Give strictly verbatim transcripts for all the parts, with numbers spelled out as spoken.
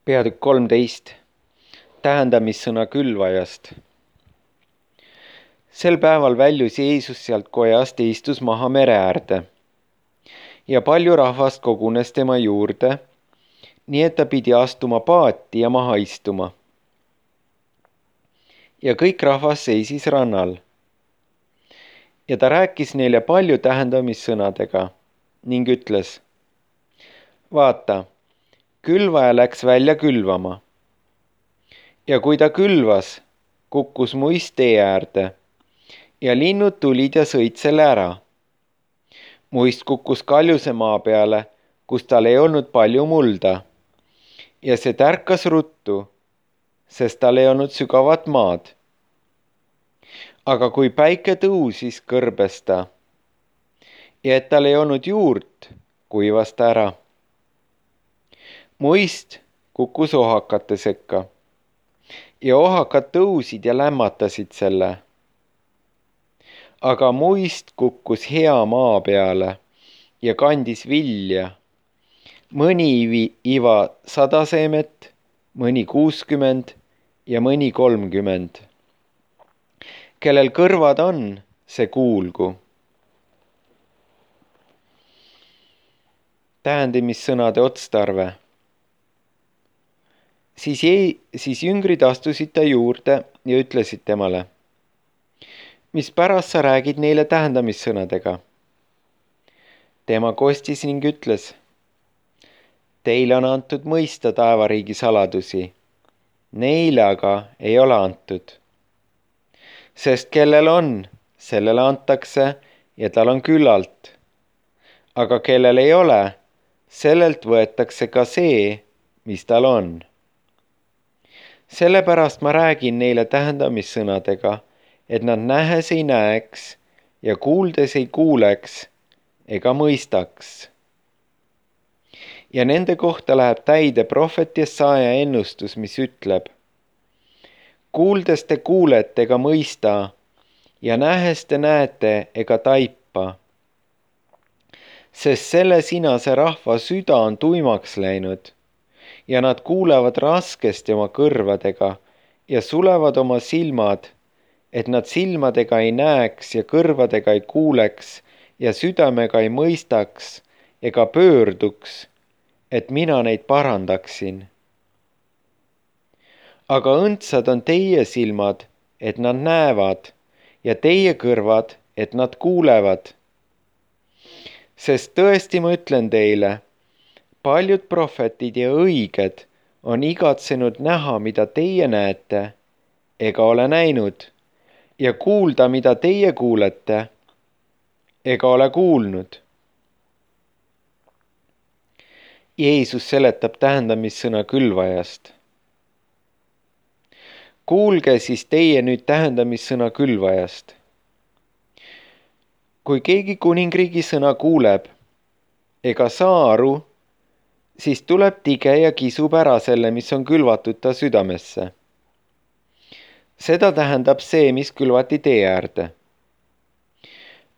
Peatükk kolmteist. Tähendamissõna külvajast. Sel päeval väljus Jeesus sealt kojast ja istus maha mere äärde. Ja palju rahvast kogunes tema juurde, nii et ta pidi astuma paati ja maha istuma. Ja kõik rahvas seisis rannal. Ja ta rääkis neile palju tähendamissõnadega ning ütles: vaata, külvaja läks välja külvama. Ja kui ta külvas, kukkus muist tee äärde ja linnud tulid ja sõid selle ära. Muist kukkus kaljuse maa peale, kus tal ei olnud palju mulda. Ja see tärkas ruttu, sest tal ei olnud sügavat maad. Aga kui päike tõusis, kõrbes ta. Ja et tal ei olnud juurt, kuivas ta ära. Muist kukkus ohakate sekka. Ja ohakad tõusid ja lämmatasid selle. Aga muist kukkus hea maa peale ja kandis vilja. Mõni iva sada seemet, mõni kuuskümmend ja mõni kolmkümmend. Kellel kõrvad on, see kuulgu. Tähendamissõnade otstarve. Siis, jäi, siis jüngrid astusid ta juurde ja ütlesid temale: mis pärast sa räägid neile tähendamissõnadega? Tema kostis ning ütles: teile on antud mõista taevariigi saladusi, neile aga ei ole antud. Sest kellel on, sellele antakse ja tal on küllalt. Aga kellel ei ole, sellelt võetakse ka see, mis tal on. Sellepärast ma räägin neile tähendamissõnadega, et nad nähes ei näeks ja kuuldes ei kuuleks ega mõistaks. Ja nende kohta läheb täide prohvet Jesaja ennustus, mis ütleb: kuuldes te kuulete ega mõista ja nähes te näete ega taipa. Sest selle sinase rahva süda on tuimaks läinud ja nad kuulevad raskesti oma kõrvadega ja sulevad oma silmad, et nad silmadega ei näeks ja kõrvadega ei kuuleks ja südamega ei mõistaks ega pöörduks, et mina neid parandaksin. Aga õndsad on teie silmad, et nad näevad, ja teie kõrvad, et nad kuulevad. Sest tõesti ma ütlen teile, paljud prohvetid ja õiged on igatsenud näha, mida teie näete, ega ole näinud, ja kuulda, mida teie kuulete, ega ole kuulnud. Jeesus seletab tähendamissõna külvajast. Kuulge siis teie nüüd tähendamissõna külvajast. Kui keegi kuningriigi sõna kuuleb, ega saa aru, siis tuleb tige ja kisub ära selle, mis on külvatud ta südamesse. Seda tähendab see, mis külvati tee äärde.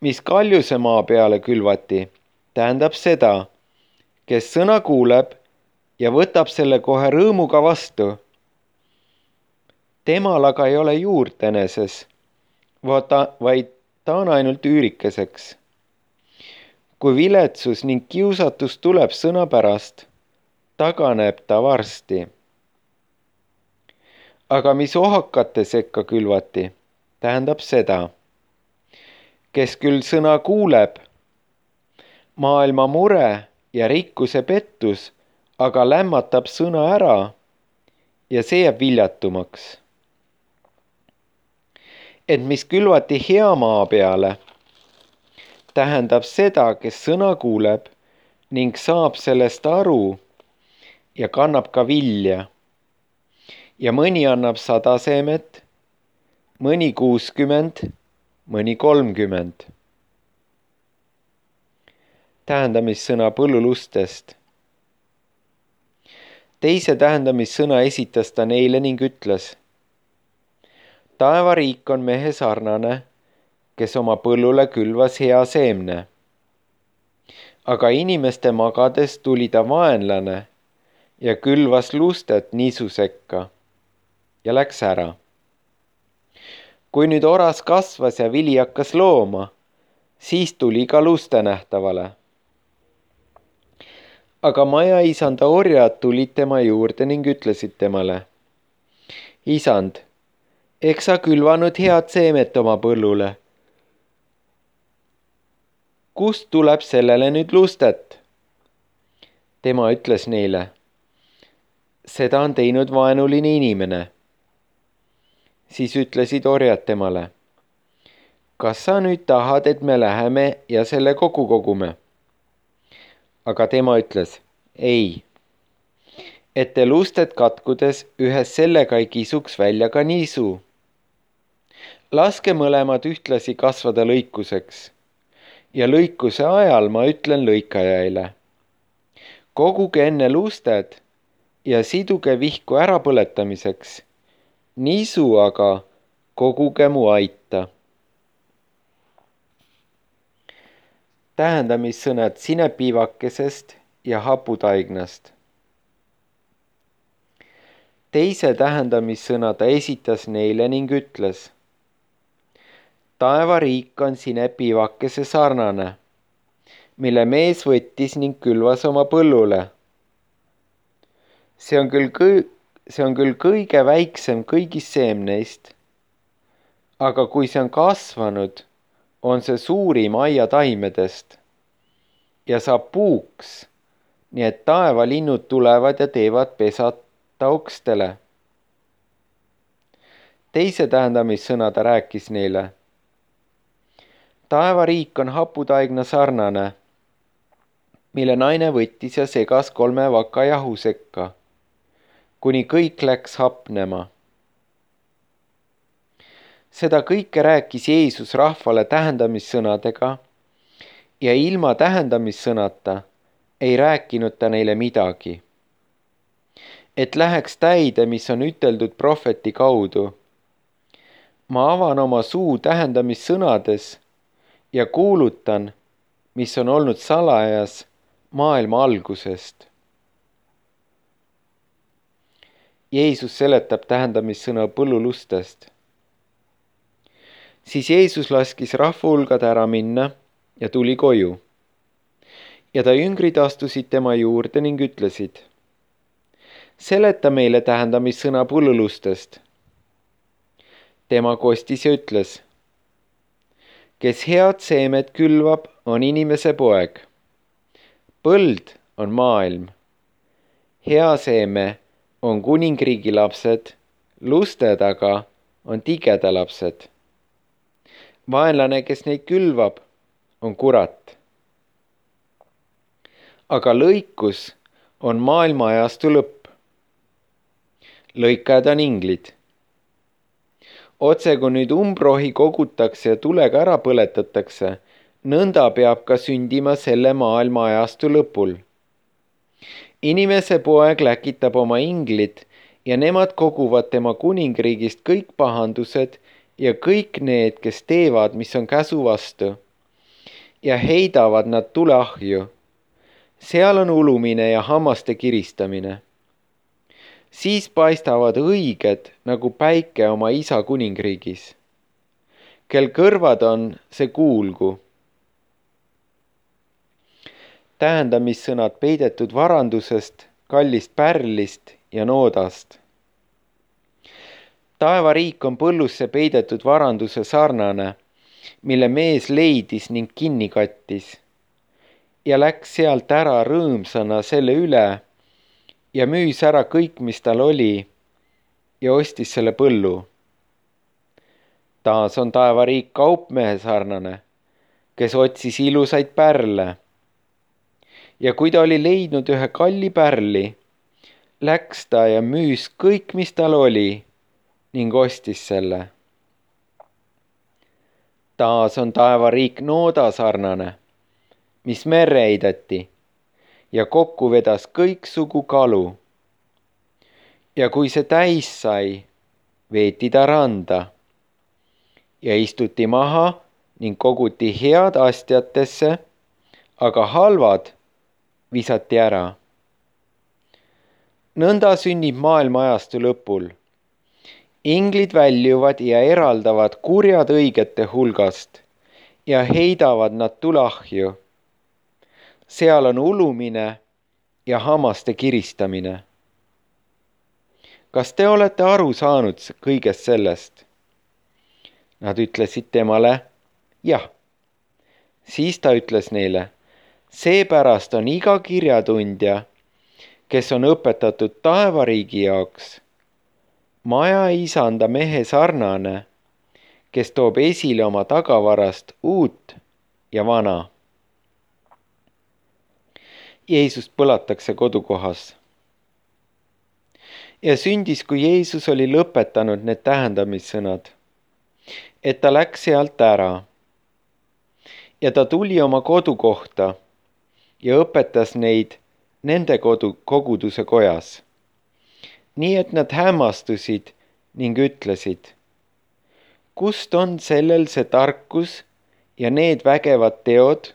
Mis kaljuse maa peale külvati, tähendab seda, kes sõna kuuleb ja võtab selle kohe rõõmuga vastu. Temal aga ei ole juurt eneses, vaid ta on ainult üürikeseks. Kui viletsus ning kiusatus tuleb sõna pärast, taganeb ta varsti. Aga mis ohakate sekka külvati, tähendab seda, kes küll sõna kuuleb, maailma mure ja rikkuse pettus, aga lämmatab sõna ära ja see jääb viljatumaks. Et mis külvati hea maa peale, tähendab seda, kes sõna kuuleb ning saab sellest aru ja kannab ka vilja. Ja mõni annab sada seemet, mõni kuuskümmend, mõni kolmkümmend. Tähendamissõna põllulustest. Teise tähendamissõna esitas ta neile ning ütles: taevariik on mehe sarnane, kes oma põllule külvas hea seemne. Aga inimeste magades tuli ta vaenlane ja külvas lustet niisu sekka ja läks ära. Kui nüüd oras kasvas ja vili hakkas looma, siis tuli ka luste nähtavale. Aga maja isanda orjad tulid tema juurde ning ütlesid temale: Isand, eks sa külvanud head seemet oma põllule. Kust tuleb sellele nüüd lustet? Tema ütles neile: Seda on teinud vaenuline inimene. Siis ütlesid orjad temale: Kas sa nüüd tahad, et me läheme ja selle kokku kogume? Aga tema ütles: Ei, et te lustet katkudes ühes sellega ei kisuks välja ka niisu. Laske mõlemad ühtlasi kasvada lõikuseks ja lõikuse ajal ma ütlen lõikajaile: Koguge enne lusted ja siduge vihku ärapõletamiseks, niisu aga koguge mu aita. Tähendamissõnad sinepiivakesest ja haputaignast. Teise tähendamissõna ta esitas neile ning ütles: Taevariik on sinepiivakese sarnane, mille mees võttis ning külvas oma põllule. See on küll, kõi- see on küll kõige väiksem kõigist seemneist, aga kui see on kasvanud, on see suurim aiataimedest ja saab puuks, nii et taevalinnud tulevad ja teevad pesad ta okstele. Teise tähendamissõna ta rääkis neile: Taevariik on haputaigna sarnane, mille naine võttis ja segas kolme vaka jahu sekka, kuni kõik läks hapnema. Seda kõike rääkis Jeesus rahvale tähendamissõnadega ja ilma tähendamissõnata ei rääkinud ta neile midagi. Et läheks täide, mis on üteldud prohveti kaudu. Ma avan oma suu tähendamissõnades ja kuulutan, mis on olnud salajas maailma algusest. Jeesus seletab tähendamissõna põllulustest. Siis Jeesus laskis rahvahulgad ära minna ja tuli koju. Ja ta jüngrid astusid tema juurde ning ütlesid: Seleta meile tähendamissõna põllulustest. Tema kostis ja ütles: Kes head seemet külvab, on inimese poeg. Põld on maailm. Hea seeme on kuningriigi lapsed, lusted aga on tigeda lapsed. Vaenlane, kes neid külvab, on kurat. Aga lõikus on maailma ajastu lõpp. Lõikajad on inglid. Otse kui nüüd umbrohi kogutakse ja tulega ära põletatakse, nõnda peab ka sündima selle maailma ajastu lõpul. Inimese poeg läkitab oma inglid ja nemad koguvad tema kuningriigist kõik pahandused ja kõik need, kes teevad, mis on käsu vastu, ja heidavad nad tuleahju. Seal on ulumine ja hammaste kiristamine. Siis paistavad õiged nagu päike oma isa kuningriigis. Kel kõrvad on, see kuulgu. Tähendamissõnad peidetud varandusest, kallist pärlist ja noodast. Taevariik on põllusse peidetud varanduse sarnane, mille mees leidis ning kinni kattis ja läks sealt ära rõõmsana selle üle ja müüs ära kõik, mis tal oli ja ostis selle põllu. Taas on taevariik kaupmehe sarnane, kes otsis ilusaid pärle. Ja kui ta oli leidnud ühe kalli pärli, läks ta ja müüs kõik, mis tal oli ning ostis selle. Taas on taevariik nooda sarnane, mis merre heideti ja kokku vedas kõiksugu kalu. Ja kui see täis sai, veeti ta randa ja istuti maha ning koguti head astjatesse, aga halvad visati ära. nõnda sünnib maailma ajastu lõpul. Inglid väljuvad ja eraldavad kurjad õigete hulgast ja heidavad nad tulahju. Seal on ulumine ja hammaste kiristamine. Kas te olete aru saanud kõigest sellest? Nad ütlesid temale, jah. Siis ta ütles neile, seepärast on iga kirjatundja, kes on õpetatud taevariigi jaoks, maja isanda mehe sarnane, kes toob esile oma tagavarast uut ja vana. Jeesust põlatakse kodukohas. Ja sündis, kui Jeesus oli lõpetanud need tähendamissõnad, et ta läks sealt ära. Ja ta tuli oma kodukohta ja õpetas neid nende kodu, koguduse kojas. Nii et nad hämmastusid ning ütlesid, kust on sellel see tarkus ja need vägevad teod?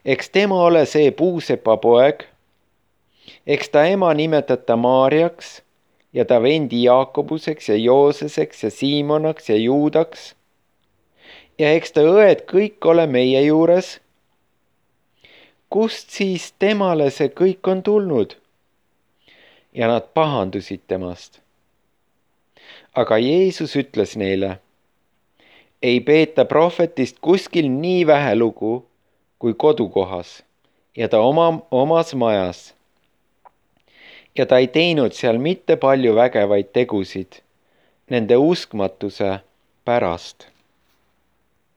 Eks tema ole see puusepa poeg, eks ta ema nimetata Maarjaks ja ta vendi Jaakobuseks ja Jooseseks ja Siimonaks ja Juudaks. Ja eks ta õed kõik ole meie juures. Kust siis temale see kõik on tulnud? Ja nad pahandusid temast. Aga Jeesus ütles neile, ei peeta prohvetist kuskil nii vähe lugu kui kodukohas ja ta oma, omas majas. Ja ta ei teinud seal mitte palju vägevaid tegusid nende uskmatuse pärast.